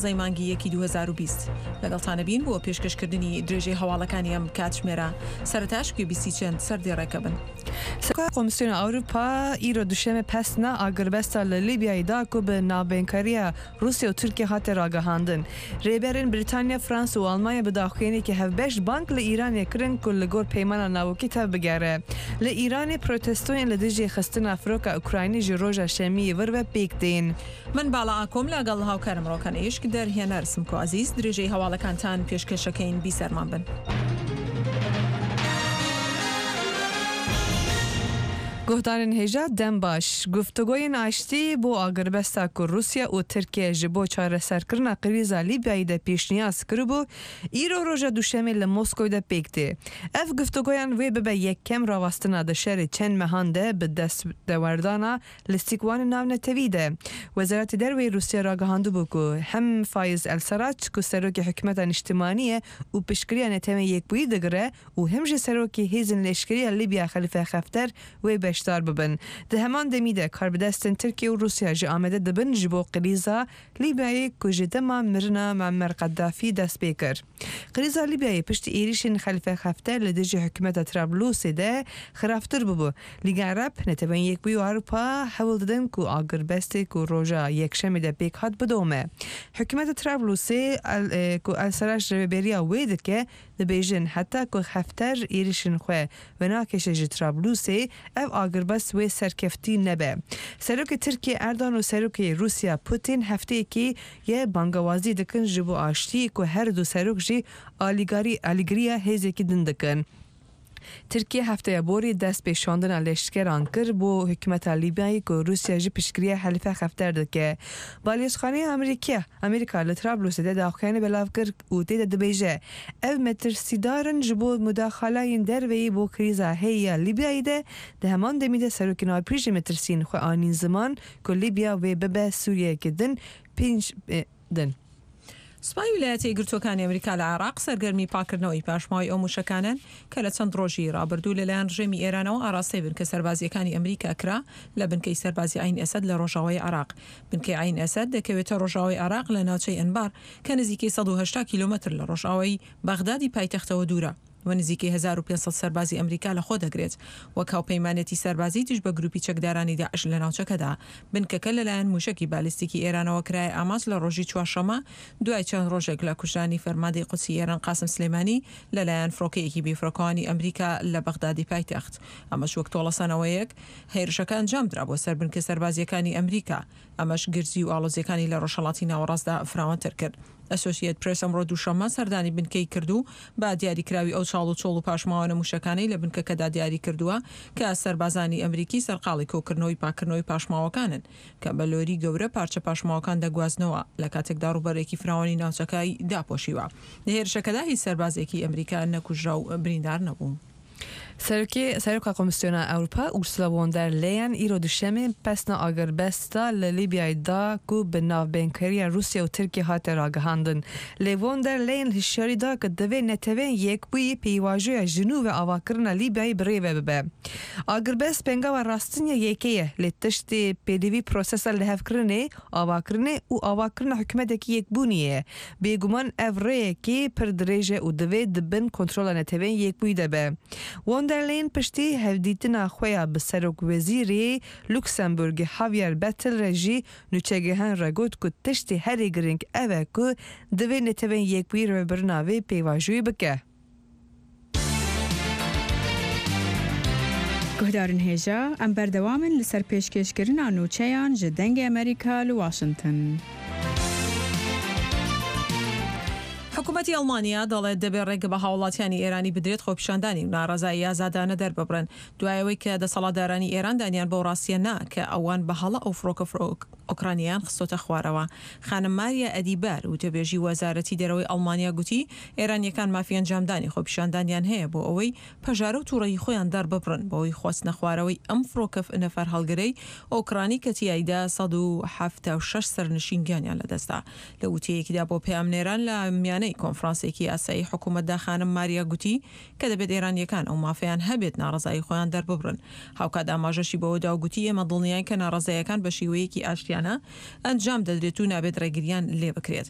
ی مانگی یەکی 2020 لەگەڵتانەبین بۆ پێشکەشکردنی درێژەی هەواڵەکانی ئەم کاتژمێرە، سەرەتاش گوێبیستی چەند سەردێڕێکە بن. Serokê Komîsyona Ewropa îro Duşemê pesna agirbesta li Lîbyayê da ku bi navbeynkariya Rûsya û Tirkiye hate ragihandin. Rêberên Brîtanya, Fransa û Almanya bi daxuyaniyekî hevbeş bang li Îranê kirin ku li gor peymana navokî tev bigere. Li Îranê protestoyên li dijî xistina firoka Ukraynî ji roja şemiyê vir ve pêk tên. من باڵا ئاکۆم لەگەڵ هاوکارم ڕۆکان ئیشک دەرهێنەر سمکۆ عەزیز درێژەی هەواڵەکانتان پێشکەشەکەین بیسەرمان بن. Guhdarên hêja dem baş. Guftugoyên aştî bo agirbesta ku Rûsya û Tirkiye ji bo çareserkirina krîza Lîbyayê de pêşniyaz kiribû, îro roja Duşemê li Moskoyê de pêk tê. Ev guftugoyan wê bibe yekem rawestina di şerê çend mehan de bi destdewerdana Li sîkwanê navnetewî de, Wezaretê Derveyê Rûsya ragihandibû ku hem Fayiz El Serac ku serokê Hikûmeta Niştimanî ye û piştgiriya Neteweyên Yekbûyî digire û hem jî serokê Hêzên Leşkerî ya Lîbya Xelîfe Xefter wê beşdar bibin. Di heman demî de karbidestên Tirkiye û Rûsya jî amade dibin ji bo krîza Lîbyayê ku ji dema mirina Muammer Qeddafî dest pê kir. Krîza Lîbyayê piştî êrîşên Xelîfe Xefter li dijî hikûmeta Trablusê de xirabtir bûbû. Lîga Ereb, Neteweyên Yekbûyî û Ewropa hewl didin ku agirbestê ku roja Yekşemê de pêk hat bidome. Hikûmeta Trablusê ku El Seraj rêveberiya wê dike, dibêjin heta ku Xefter êrîşên xwe venakêşe ji Trablusê, ev agirbest wê serkeftî nebe. Serokê Tirkiyê Erdogan û Serokê Rûsya Putin hefteyekî ye bangawazî dikin ji bo aştiyê ku her du serok jî alîgarî alîgiriya hêzekî din dikin. Tirkiye hefteya borî dest pê şandina leşkeran kir bo hikûmeta Lîbyayê ku Rûsya jî piştgiriya Xelîfe Xefter dike. Balyozxaneya Amerîkiya Amerîka li Trablusê de daxuyanî belav kir û tê de dibêje, Ev metirsîdar in ji bo mudaxalayên derveyî bo krîza heyî ya Lîbyayê de, di heman demî de serokên Ewropî jî metirsiyên xwe anîn ziman ku Lîbya wê bibe Sûriyeyeke din pênc din. سوپای ویلایەتە یەکگرتووەکانی ئەمریکا لە عێراق سەرگەرمی پاککردنەوەی پاشماوەی ئەو مووشەکانەن کە لە چەند ڕۆژی ڕابردوو لەلایەن ڕژێمی ئێرانەوە ئاراستەی بنکە سەربازییەکانی ئەمریکا کرا لە بنکەی سەربازی عەین ئەسەد لە ڕۆژاوای عێراق. بنکەی عەین ئەسەد دەکەوێتە ڕۆژاوای عێراق لە ناوچەی ئەنبار کە نزیکەی 180 کیلۆمەتر لە ڕۆژاوای بەغدادی پایتەختەوە دوورە. و نزیکەی 1500 سەربازی ئەمریکا لەخۆ دەگرێت وەک هاوپەیمانێتی سەربازی دژ بە گروپی چەکدارانی داعش لە ناوچەکەدا. بنکەکە لەلایەن موشەکی بالیستیکی ئێرانەوە کرایە ئامانج لە ڕۆژی چوارشەممە دوای چەند ڕۆژێک لە کوژرانی فەرماندەی قودسی ئێران قاسم سلێمانی لەلایەن فڕۆکەیەکی بێفڕۆکەوانی ئەمریکا لە بەغدادی پایتەخت. ئەمەش وەک تۆڵەسەنەوەیەک هێرشەکە ئەنجامدرا بۆ سەر بنکە سەربازییەکانی ئەمریکا. ئەمەش گرژی و ئاڵۆزییەکانی لە ڕۆژهەڵاتی ناوەڕاستدا فراوانتر کرد. ئەسۆشیەت پرێس ئەمڕۆ دووشەممە سەردانی بنکەی کرد و بە دیاریکراوی ئەو چاڵ و چۆڵ و پاشماوانە موشەکانەی لە بنکەکەدا دیاری کردووە کە سەربازانی ئەمریکی سەرقاڵی کۆکردنەوەی پاککردنەوەی پاشماوەکانن کە بە لۆری گەورە پارچە پاشماوەکان دەگوازنەوە لە کاتێکدا ڕووبەرێکی فراوانی ناوچەکەی داپۆشیوە. لە هێرشەکەدا هیچ سەربازێکی ئەمریکا نەکوژرا و بریندار نەبوو. Serokê Seroka Komîsyona Ewropa Ursula von der Leyen îro Duşemê pesna agirbesta li Lîbyayê da ku bi navbeynkariya Rûsya û Tirkiyê hate ragihandin. Lê von der Leyen hişyarî da ku divê Neteweyên Yekbûyî pêvajoya ji nû ve avakirina Lîbyayê bi rê ve bibe. Agirbest pêngava rastin ya yekê ye lê tiştê pêdivî prosesa lihevkirinê, avakirinê û avakirina hikûmetekî yekbûnî ye. Bêguman ev rêyekî pir dirêj e û divê di bin kontrola Neteweyên Yekbûyî de be. Von der Leyen piştî hevdîtina xwe ya bi Serokwezîrê Luksemburgê Javier Bettel re jî nûçegihan re got ku tiştê herî girîng ev e ku divê Neteweyên Yekbûyî rêvebirina vê pêvajoyê bike. Guhdarên hêja, em berdewam in li ser pêşkêşkirina nûçeyan ji Dengê Amerîka li Washington. حکومەتی ئەڵمانیا دەڵێت دەبێت ڕێگە بە هاوڵاتیانی ئێرانی بدرێت خۆپیشاندانی و ناڕەزایی ئازادانە دەرببڕن دوای ئەوەی کە دەسەڵاتدارانی ئێران دانیان بەو ڕاستیە نا کە ئەوان بە هەڵە ئەو فڕۆکە ئۆکرانیەیان خستۆتە خوارەوە. خانم ماریا ئەدیبار، وتەبێژی وەزارەتی دەرەوەی ئەڵمانیا گوتی، ئێرانییەکان مافی ئەنجامدانی خۆپیشاندانیان هەیە بۆ ئەوەی پەژارە و توڕەیی خۆیان دەرببڕن بەهۆی خواستنەخوارەوەی ئەم فڕۆکە نەفەرهەڵگرەی ئۆکرانی کە تیایدا 176 سەرنشین گیانیان لەدەستدا. لە وتەیەکیدا بۆ پەیامنێران لە میانەی کۆنفرانسێکی ئاسایی حکومەتدا خانم ماریا گوتی کە دەبێت ئێرانییەکان ئەو مافەیان هەبێت ناڕەزایی خۆیان دەرببڕن. هاوکات ئاماژەشی بەوەدا و گوتی ئێمە دڵنیاین کە ناڕەزاییەکان بە شێوەیەکی ئاشتیانە ئەنجام دەدرێت و نابێت ڕێگرییان لێبکرێت.